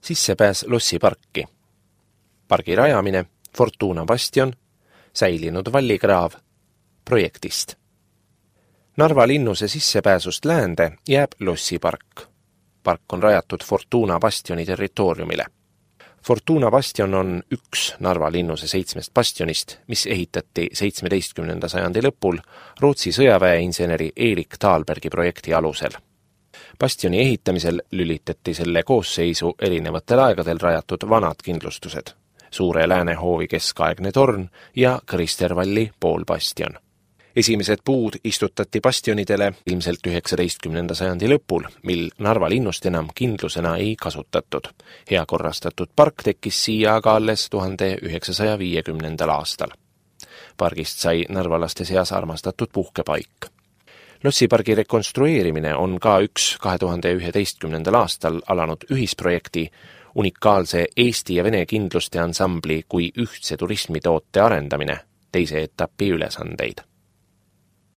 Sissepääs lossiparki. Pargi rajamine, Fortuna bastion, säilinud vallikraav, projektist. Narva linnuse sissepääsust läände jääb lossipark. Park on rajatud Fortuna bastioni territooriumile. Fortuna bastion on üks Narva linnuse 7 bastionist, mis ehitati 17. sajandi lõpul Rootsi sõjaväeinseneri Erik Thalbergi projekti alusel. Bastioni ehitamisel lülitati selle koosseisu erinevatel aegadel rajatud vanad kindlustused, Suure Läänehoovi keskaegne torn ja Kristervalli poolbastion. Esimesed puud istutati bastionidele ilmselt 19. sajandi lõpul, mil Narva linnust enam kindlusena ei kasutatud. Hea korrastatud park tekkis siia aga alles 1950. aastal. Pargist sai narvalaste seas armastatud puhkepaik. Lossipargi rekonstrueerimine on ka üks 2011. aastal alanud ühisprojekti unikaalse Eesti ja Vene kindluste ansambli kui ühtse turismitoote arendamine, teise etapi ülesandeid.